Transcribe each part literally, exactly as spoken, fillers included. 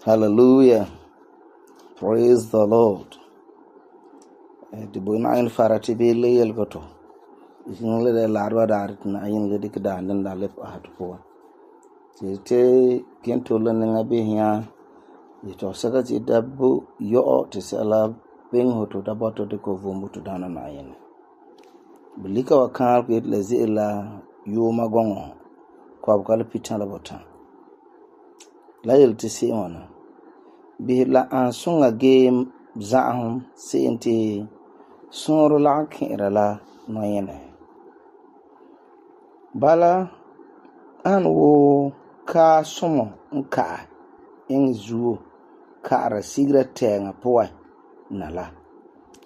Hallelujah. Praise the Lord. The boy na in farati be leyel goto. Isin le de larwa darit na yin le dik da nan da lep a to. Te kento le nga be hia. Ito saka ti dabu yo te sala ben hoto da boto de ko vumbu to dana na yin. Bilika wa kan ko le zela yo magongo. Ko abkal pitan la botan. La yel ti si ona. Bi la an sunga game zahum senti sunro la kira la no yene. Bala an wo ka sumo nka in zuo ka ara sigra tenga poa na la.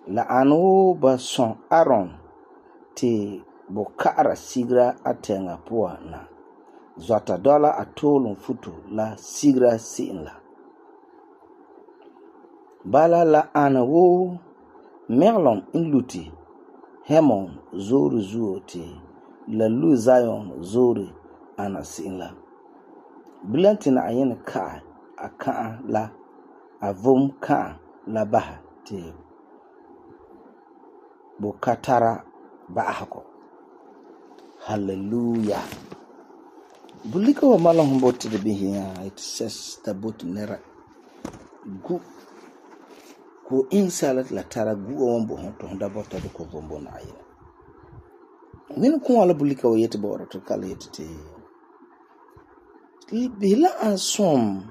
La an wo ba son aron ti bo ka ara sigra atenga poa na. Zota dola atolun futu la sigra sin la. Bala la ana wo merlon in luti hemon zori zuo ti la lu zion zori ana sin la. Bilantina ayin ka aka la avom ka la baha ti bukatara bahako. Hallelujah. Bulika wa malon boti de bihiya it says the boat nera gu ko insalat la tara gu on bo to da bota de ko bombo na ayina min ko wala bulika wa yete bo to kala yete te bila an som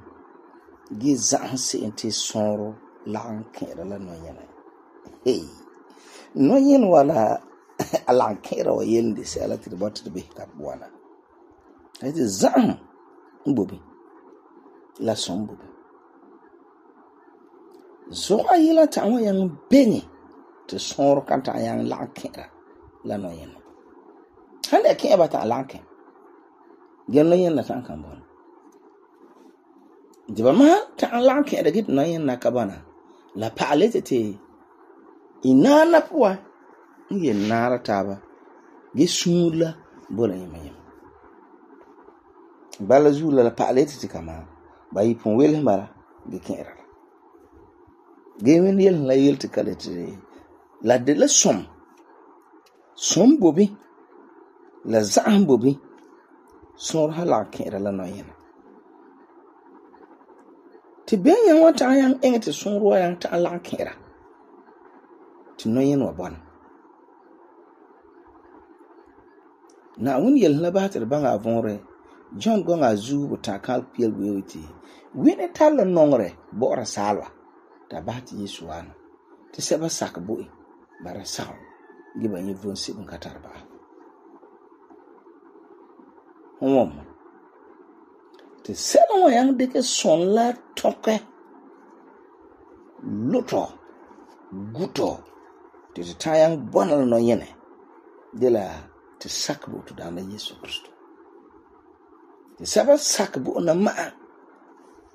gi zanse ente sonro la an kera la no yana hey no yen wala ala kera wa yende se ala ti bota de bi ka bwana ite zan mbobi la som mbobi zo ayila ta wa yang beni te sonro kanta yang la kera la no yana hande ke ba ta la ke genno yana tan kan bon diba ma ta la ke da git no yana ka bana la palete te inana puwa nge nara taba ge sula bola yima yima bala zula la palete ti kama bayi pon wel mara ge kera ge men yel la yel ti kalete la de la som som bobi la zan bobi son hala kera la no yana ti ben yan wata yan engete son ruwa yan ta la kera ti no yana wabana na wun yel la batir banga vonre John gonga zu buta kal piel wewiti wini tal nongre bora salwa ta bati Yesu wana ti seba sak boi bara saw giba ni von sibun katarba homom ti seba wa yang deke son la toke luto guto ti tayang bonal no yene dela ti sak bu to dana Yesu Kristo ti saba sak bu na ma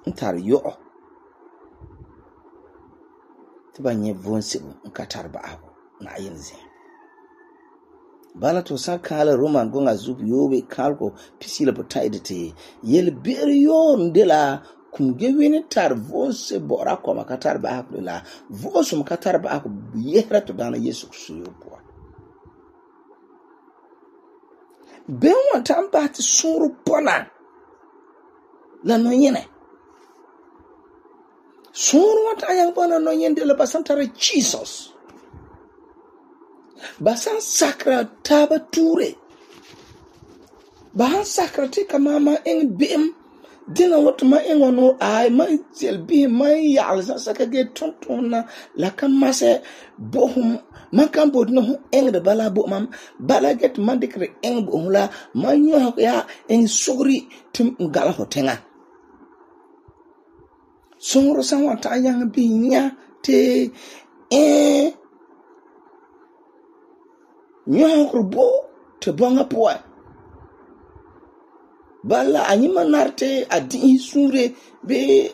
ntar yo ti banye vonsi nkatar ba abu na yinze bala to sakala roman gonga zup yobe kalko pisila potaide te yel berio ndela kumgewini tar vonsi bora ko makatar ba abu la vosu makatar ba abu yehra to dana Yesu Kristo yopo ben wanta mbati suru pona la no yene suru wanta yang pona no yende la basantara Jesus basan sakra taba ture ba han sakrati ka ma ma eng be'em dina wat ma eng no ai ma tel bi ma ya'al sa saka ge tonton na la kan mase bohum man kan bod no eng de bala bo mam bala get man dikre eng bo la man yo ya eng sugri tim ngala hotenga songro san wa ta yang bi nya te eh nyo bo te bonga poa bala anyima narte adi sure be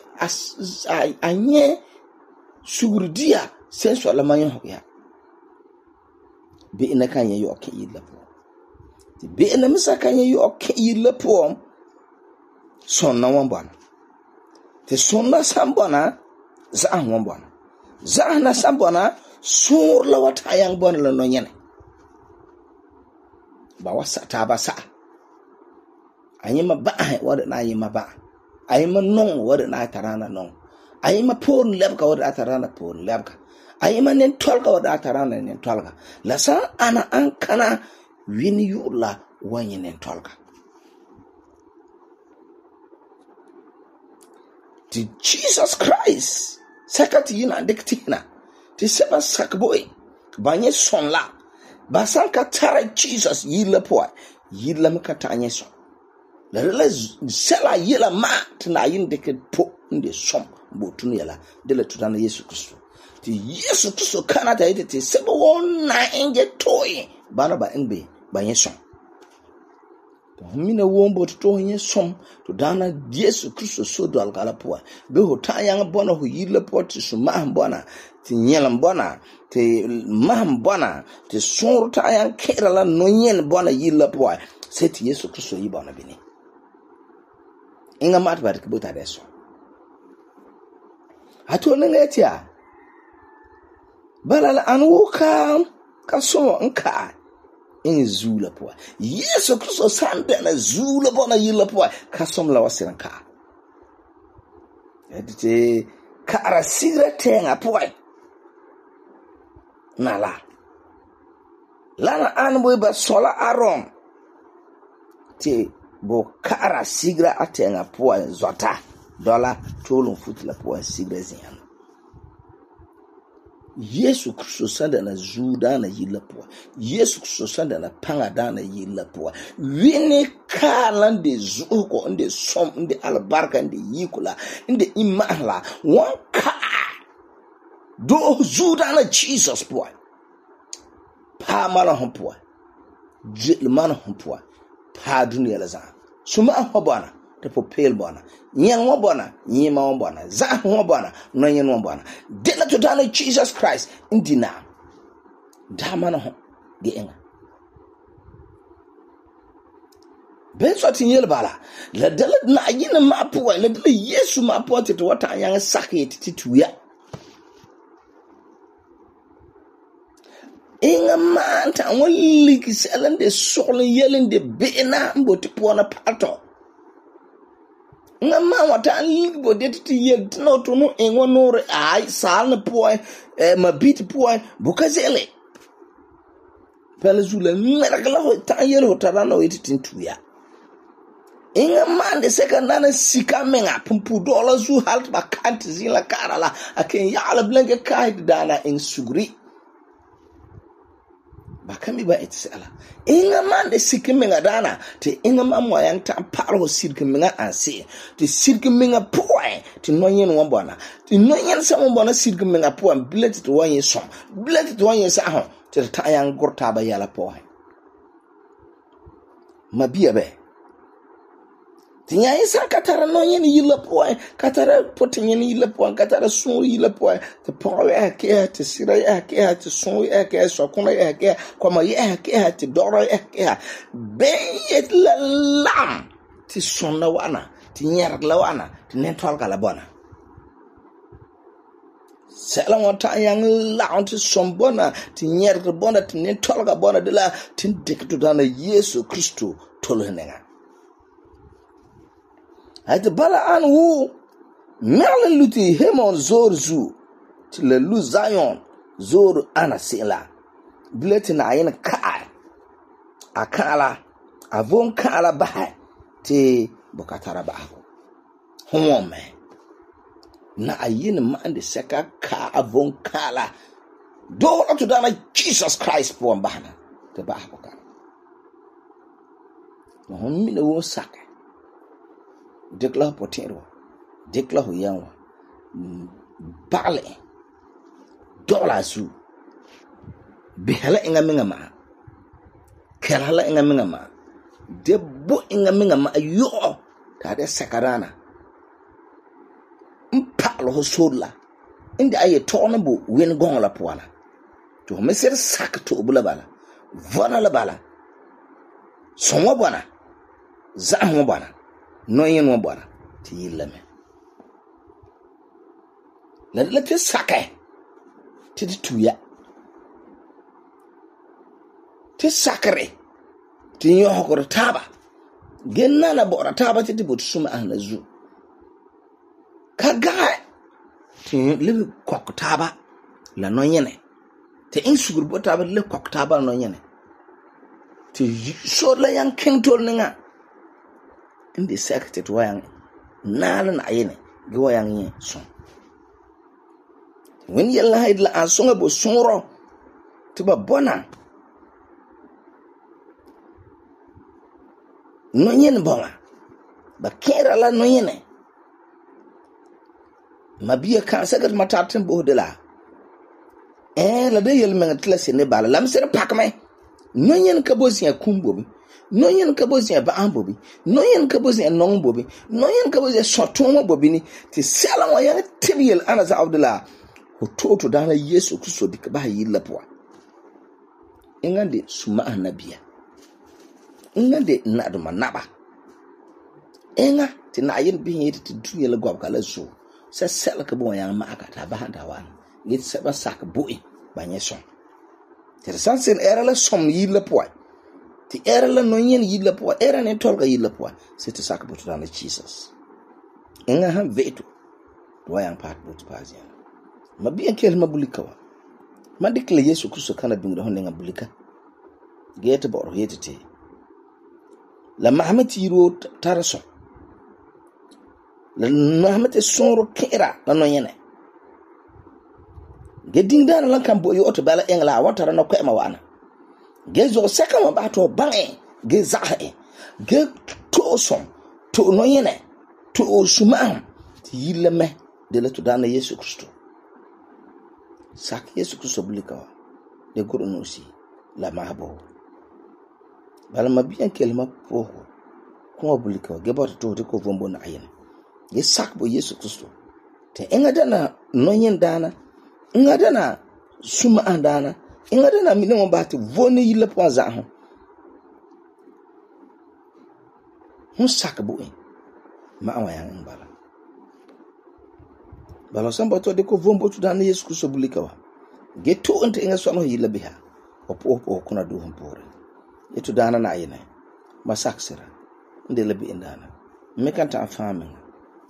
anye surdia senso la manyo ya be ina kan ye yo ke yilla po ti be ina misa kan ye yo ke yilla po sonna wan bana te sonna sambana za an wan bana za na sambana sur la wata yang bana la no nyene ba wasa ta ba sa ayima ba wada na ayima ba ayima non wada na tarana non ayima pon lebka wada tarana pon lebka ayima nen tolka wada tarana nen tolka la sa ana an kana wini yula wani nen tolka ti Jesus Christ sakati yina diktina ti seba sakboy banye sonla basan ka tara Jesus yila poa yila makata anye son la la sela yila ma tina yin de ke po inde som bo tunu yala de la tutana Yesu Kristo ti Yesu Kristo kana ta yite ti sebo wona enge toy bana ba enbe ba yeson to mina wombo to yen som to dana Yesu Kristo so do algala poa be ho ta yang bona ho yila po ti so ma bona ti nyelam bona ti maham bona ti sorta yan kera la no yen bona yila poa se ti Yesu Kristo yi bona bini inga mat bat kibuta deso hato nenga etia balala anwuka kaso nka in zula poa Yesu Kristo sande na zula bona yila poa kasom la wasiranka edite kara sigra tenga poa nala lana anboy ba sola aron te bo kara sigra atenga poa zota dola tolun futla poa sigra zian Yesu Kristo sanda na zuda na yila poa Yesu Kristo sanda na panga dana yila poa wini kalan de zuko inde som inde albarka inde yikula inde imahla wanka do zuda na Jesus poa pa mala hon poa jil man hon poa pa dunia la zan suma ho bona te popel bona nyen wo bona nyima wo bona za ho bona no nyen wo bona de la to dana Jesus Christ indina da mana ho de enga be so tin yel bala la de la na yin ma poa la de Yesu ma poa te to wata yan sakete tituya inga manta wali kisalan de solen yelen de bena mboti pona pato nga ma wata libo de ti yel no to no enwo no re ai sal na poe eh mabit poe bukazele pele zula meragla ho ta yel ho tarana o ititin tuya inga mande sekandana sika menga pumpu dola zu halt bakanti zila karala aken yala blanke kaid dana in sugri bakami ba etsela inga mande sikimenga dana te inga mamwa yang ta paro sikimenga anse te sikimenga poe te noyen wambona te noyen sa wambona sikimenga poe billet to wanye som billet to wanye sa ho te ta yang gorta ba yala poe mabia be tinya isa katara noyen yila poe katara potinyen yila poe katara sun yila poe te poe ke te sira ke te sun ke so kuna ke koma ke te doro ke be la lam ti sonna wana ti nyer la wana ti netwal kala bona sela wata yang la ti sombona ti nyer bona ti netwal ka bona de la tin dikto dana Yesu Kristo tolhenenga Hayte bala an wu merle luti hemon zor zu ti le lu Zion zor ana sila bileti na yin ka akala a von kaala bahe te boka tara ba'ago. Hon me na ayin man de seka ka a von kaala do to dana Jesus Christ po bahana te ba'ago ka. No hon mi ne wo saka dekla potero dekla ho yanwa bale dola su bihala inga minga ma kerala inga minga ma debbo inga minga ma yo ta de sakarana mpalo ho sola indi aye tona bo wen gon la poana to me ser sak to bula bala vona la bala sonwa bana za ho bana no yen wo bana ti yilame la la te sake ti tuya ti sakare ti yo hokor taba genna na bora taba ti bot suma ahna zu kaga ti le kok taba la no yene te in sugur bo taba le kok taba no yene ti so la yan king tol ninga indi sakate to yan nala na yene go yan yin so when yalla haidla asonga bo soro tiba bona no yen bona ba kera la no yene mabia kan sagat matatin bo de la eh la de yel men tla se ne bala lam se pak me no yen ka bo sia kumbo bi no yen ka bo sia ba ambo bi no yen ka bo sia non bo bi no yen ka bo sia sotomo bo bi ni ti sala wa ya tibiel ana za abdullah hototo dana Yesu Kristo dik ba yilla poa ingande suma anabia ingande nadu manaba enga ti na yin bi yiti ti duye la gob kala so se sel ka bo yan ma aka ta ba handa wan yit se ba sak boi ba nyeson ti sansen era la som yilla poa ti era la no yin yilla poa era ne tolga yilla poa se ti sak bo dana Jesus enga han veto do yan part bo pazia mabia kel mabulika wa madikle Yesu Kristo kana bingra honne ngabulika gete boro yetete la Muhammad yiro taraso la Muhammad soro kera la no yene geding dana lan kan bo yo to bala engla watara no ko ma wana gezo seka ma bato bange ge zahe ge to som to no yene to suma yileme de la to dana Yesu Kristo sak Yesu Kristo bulika de guru no si la mabo bala mabiyan kelma po ko bulika ge bot to de ko vombo na ayen ge sak bo Yesu Kristo te enga dana no yen dana enga dana suma andana enga dana mi ne mo bati voni yile po za ho hun sak bo en ma awayan bala bala samba to de ko vombo to dana Yesu Kristo bulika wa ge to ente enga so no yile biha opo opo kuna do hon pore eto dana na ayene masaksira ndele bi indana mekanta afame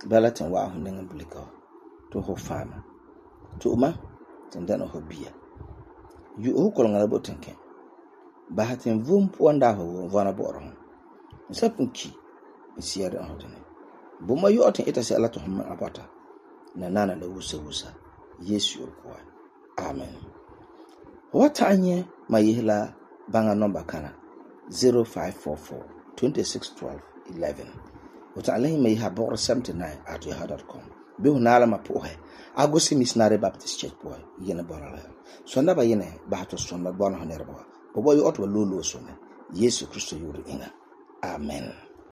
balatin wa hu ndenga bulika to ho fama to ma tendana ho bia yu o ko ngala botenke bahatin vum puanda ho vana boro sapunki siyada hodene buma yu oten eta se ala to hum apata na nana le wusa wusa Yesu ko amen wata anye mayihla banga number kana zero five four four two six one two one one wata alahi mai habor seventy-nine at yahoo dot com be hunala mapohe agosi missionary baptist church boy yene bonala sonda ba yene ba to sonda bona honerba bobo yo otwa lolo sone Yesu Kristo yuri inga amen.